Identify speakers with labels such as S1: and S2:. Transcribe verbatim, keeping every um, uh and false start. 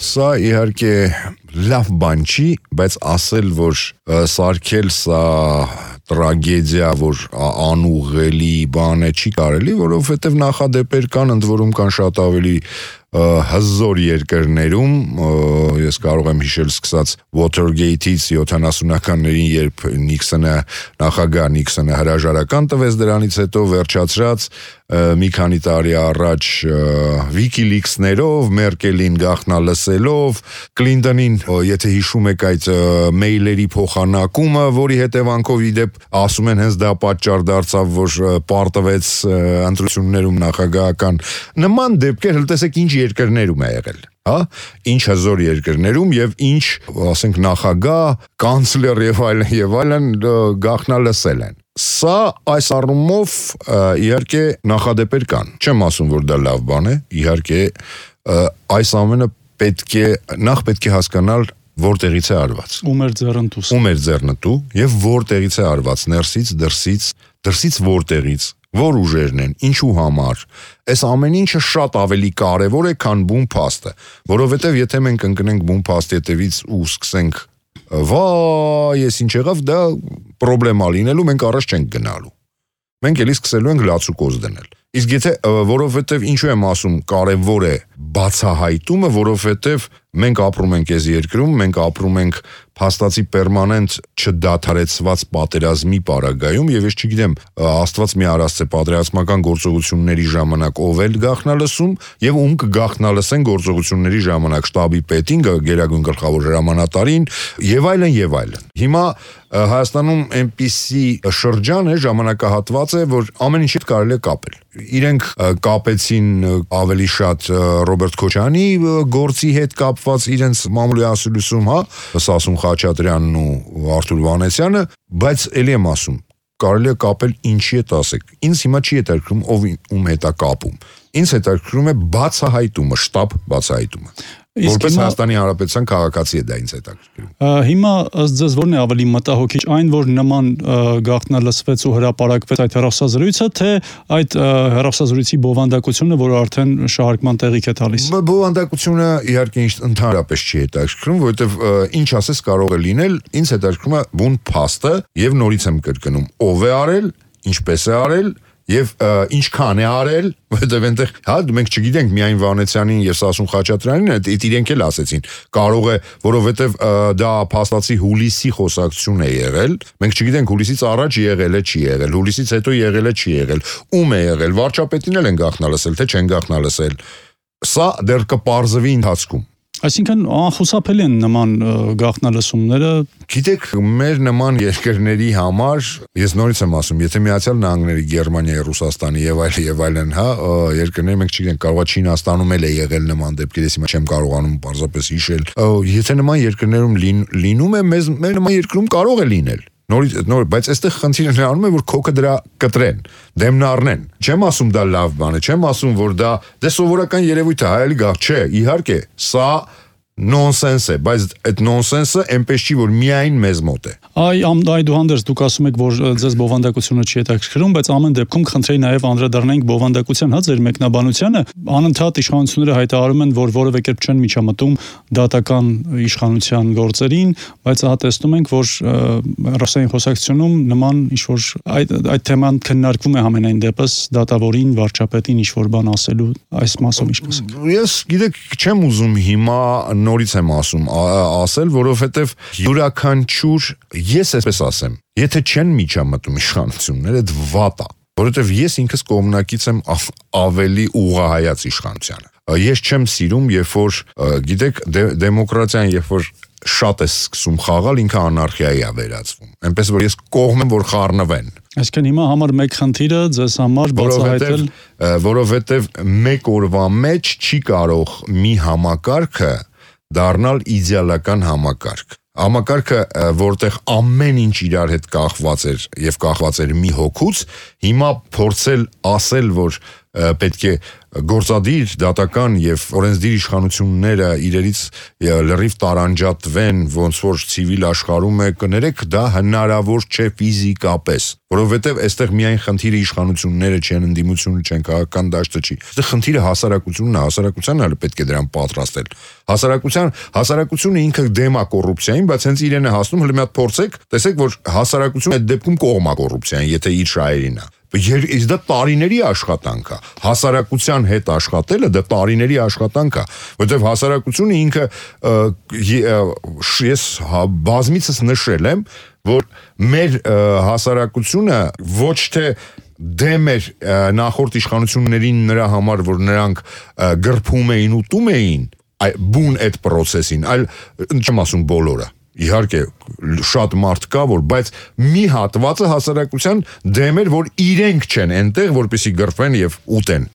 S1: Սա իհարկե լավ բան չի, բայց ասել, որ սարքել սա տրագեդիա, որ անուղղելի բան է չի կարելի, որովհետև նախադեպեր կան, ընդ որում կան շատ ավելի հզոր երկրներում, ես կարող եմ հիշել սկսած Watergate-ից յոթանասունականներին, երբ Նիքսոնը, նախագահ Նիքսոնը հրաժարական տվեց դրանից հետո վերջացրած մի քանի տարի առաջ WikiLeaks-ներով, Մերկելին գաղտնալսելով, Կլինտոնին, եթե հիշում եք այդ մեյլերի փոխանակումը, որի հետևանքով իդեպ ասում են հենց դա պատճառ դարձավ, որ պարտվեց ընտրություններում նախագահական նման դեպքեր, տեսեք ինչ երկրներում է եղել, հա, ինչ հզոր երկրներում եւ ինչ, ասենք, նախագահ, կանցլեր եւ այլն եւ այլն գաղտնալսել են։ Սա այս առումով իհարկե նախադեպեր կան։ Չեմ ասում, որ դա լավ բան է, իհարկե այս ամենը պետք է նախ պետք է հասկանալ որտեղից է արված։
S2: Ում էր ձեռնտուս։
S1: Ում էր ձեռնտու եւ որտեղից է արված, ներսից, դրսից, դրսից որտեղից, որ ուժերն են, ինչու համար։ Այս ամեն ինչը շատ ավելի կարևոր է, քան բուն փաստը, որովհետեւ եթե մենք ընկնենք բուն փաստի հետևից ու սկսենք վայ, ես ինչ եղավ, դա պրոբլեմա լինելու, մենք առաջ չենք գնալու։ Մենք էլի սկսելու ենք լացուկոզ դնել։ Իսկ եթե որովհետև ինչու եմ ասում, կարևոր է բացահայտումը, որովհետև մենք ապրում ենք այս երկրում, մենք ապրում ենք փաստացի պերմանենտ չդադարեցված պատերազմի պարագայում եւ ես չգիտեմ, Աստված մի արասցե պատերազմական գործողությունների ժամանակ ով էլ գաղտնալսում եւ ում կգաղտնալսեն գործողությունների ժամանակ շտաբի պետին, գերագույն գլխավոր հրամանատարին եւ այլն եւ այլն։ Հիմա Հայաստանում այնպիսի շրջան է, ժամանակահատված է, որ ամեն ինչ հետ կարելի է կապել։ Իրենք կապեցին ավելի շատ Ռոբերտ Քոչարյանի գործի հետ կապված իրենց մամուլի ասուլիսում, հա, Սասուն Խաչատրյանն ու Արթուր Վանեսյանը, բայց էլի եմ ասում, կարելի է կապել ինչի հետ ասեք։ Ինձ հիմա չի հետաքրքրում ով ում հետ է կապում։ Ինձ հետաքրքրում է բացահայտումը, շտապ բացահայտումը։ Որպես Հայաստանի Հանրապետության քաղաքացի է դա ինձ հետաքրքրում։
S2: Հիմա ըստ ձեզ ո՞րն է ավելի մտահոգիչ, այն որ նման գաղտնալսվեց ու հրապարակվեց այդ հեռախոսազրույցը, թե այդ հեռախոսազրույցի բովանդակությունը, որը արդեն շահարկման տեղիք է տալիս։
S1: Բովանդակությունը իհարկե ընդհանրապես չի հետաքրքրում, որովհետև ինչ ասես կարող է լինել, ինձ հետաքրքրում է բուն փաստը եւ նորից եմ կրկնում, ով է արել, ինչպես է արել եւ ինչքան է արել, որովհետեւ այնտեղ, հա, մենք չգիտենք միայն Վանեցյանին եւ Սասուն Խաչատրյանին, այդ իրենք էլ ասեցին, կարող է, որովհետեւ դա փաստացի հուլիսի խոսակցություն է եղել, մենք չգիտենք հուլիսից առաջ եղել է, չի եղել, հուլիսից հետո եղել է, չի եղել, ում է եղել, վարչապետին էլ են գաղտնալսել, թե չեն գաղտնալսել։ Սա դեռ կպարզվի ընթացքում։
S2: Այսինքն անխուսափելի են նման գաղտնալսումները։
S1: Գիտեք, մեր նման երկրների համար, ես նորից եմ ասում, եթե Միացյալ Նահանգների, Գերմանիայի, Ռուսաստանի եւ այլ եւ այլն, հա, երկրներ մենք չգիտենք, կարող է Չինաստանում էլ է եղել նման դեպքեր, ես հիմա չեմ կարողանում պարզապես հիշել։ Եթե նման երկրներում լինում է, մեզ մեր նման երկրում կարող է լինել։ Նորից նոր, բայց այստեղ խնդիրը նրանում է, որ քոքը դրա կտրեն, դեմն առնեն։ Չեմ ասում դա լավ բան է, չեմ ասում, որ դա դե սովորական երևույթ է, հայելի գաղ, չէ, իհարկե, սա նոնսենս է, բայց այդ նոնսենսը այնպես չի, որ միայն մեզ մոտ է։
S2: Այ այդուհանդերձ դուք ասում եք, որ ձեզ բովանդակությունը չի հետաքրքրում, բայց ամեն դեպքում խնդրեի նաև անդրադառնանք բովանդակության, հա, ձեր մեկնաբանությանը։ Անընդհատ իշխանությունները հայտարարում են, որ որևէ կերպ չեն միջամտում դատական իշխանության գործերին, բայց ահա տեսնում ենք, որ ռուսային խոսակցությունում նման ինչ-որ այդ այդ թեման քննարկվում է համենայն դեպս դատավորին, վարչապետին ինչ-որ բան ասելու, այս մասով ինչ կասեք։
S1: Ես գիտեք, չեմ ուզում հիմա նորից եմ ասում, ասել, որովհետև յուրաքանչյուր, ես այսպես ասեմ, եթե չեն միջամտում իշխանությունները, դա վատ է, որովհետև ես ինքս կողմնակից եմ ավելի ուղղահայաց իշխանությանը։ Ես չեմ սիրում, երբ որ, գիտեք, դեմոկրատիան, երբ որ շատ է սկսում խաղալ, ինքը անարխիայի է վերածվում։ Այնպես որ ես կողմ եմ, որ խառնվեն։
S2: Այսինքն հիմա համար մեկ խնդիրը ձեզ համար բացահայտել,
S1: որովհետև մեկ օրվա մեջ չի կարող մի համակարգը դառնալ իդեալական համակարգ։ Համակարգը, որտեղ ամեն ինչ իրար հետ կախված էր եւ կախված էր մի հոգուց, հիմա փորձել ասել, որ պետք է գործադիր, դատական եւ օրենսդիր իշխանությունները իրերից լրիվ տարանջատվեն, ոնց որ ցիվիլ աշխարհում է, կներեք, դա հնարավոր չէ ֆիզիկապես, որովհետեւ այստեղ միայն խնդիրը իշխանությունները չեն, ընդդիմությունը չեն, քաղաքական դաշտը չի։ Այստեղ խնդիրը հասարակությունն է, հասարակությանն էլ պետք է դրան պատրաստել։ Հասարակության, հասարակությունը ինքը դեմ է կոռուպցիային, բայց հենց իրեն է հասնում, հələ մի հատ փորձեք, տեսեք, որ հասարակությունը այդ դեպքում կողմ է կոռուպցիային, եթե իր շահերին է։ Իսկ դա տարիների աշխատանք է, հասարակության հետ աշխատելը դա տարիների աշխատանք է, որովհետև հասարակությունը ինքը ես բազմիցս նշել եմ, որ մեր հասարակությունը ոչ թե դեմ էր նախորդ իշխանություններին նրա համար, որ նրանք գրփում էին, ուտում էին բուն այդ process-ին, այլ չեմ ասում բոլորը։ Իհարկե շատ մարդ կա, որ բայց մի հատվածը հասարակության դեմ էր, որ իրենք չեն այնտեղ, որպեսզի գրփեն եւ ուտեն։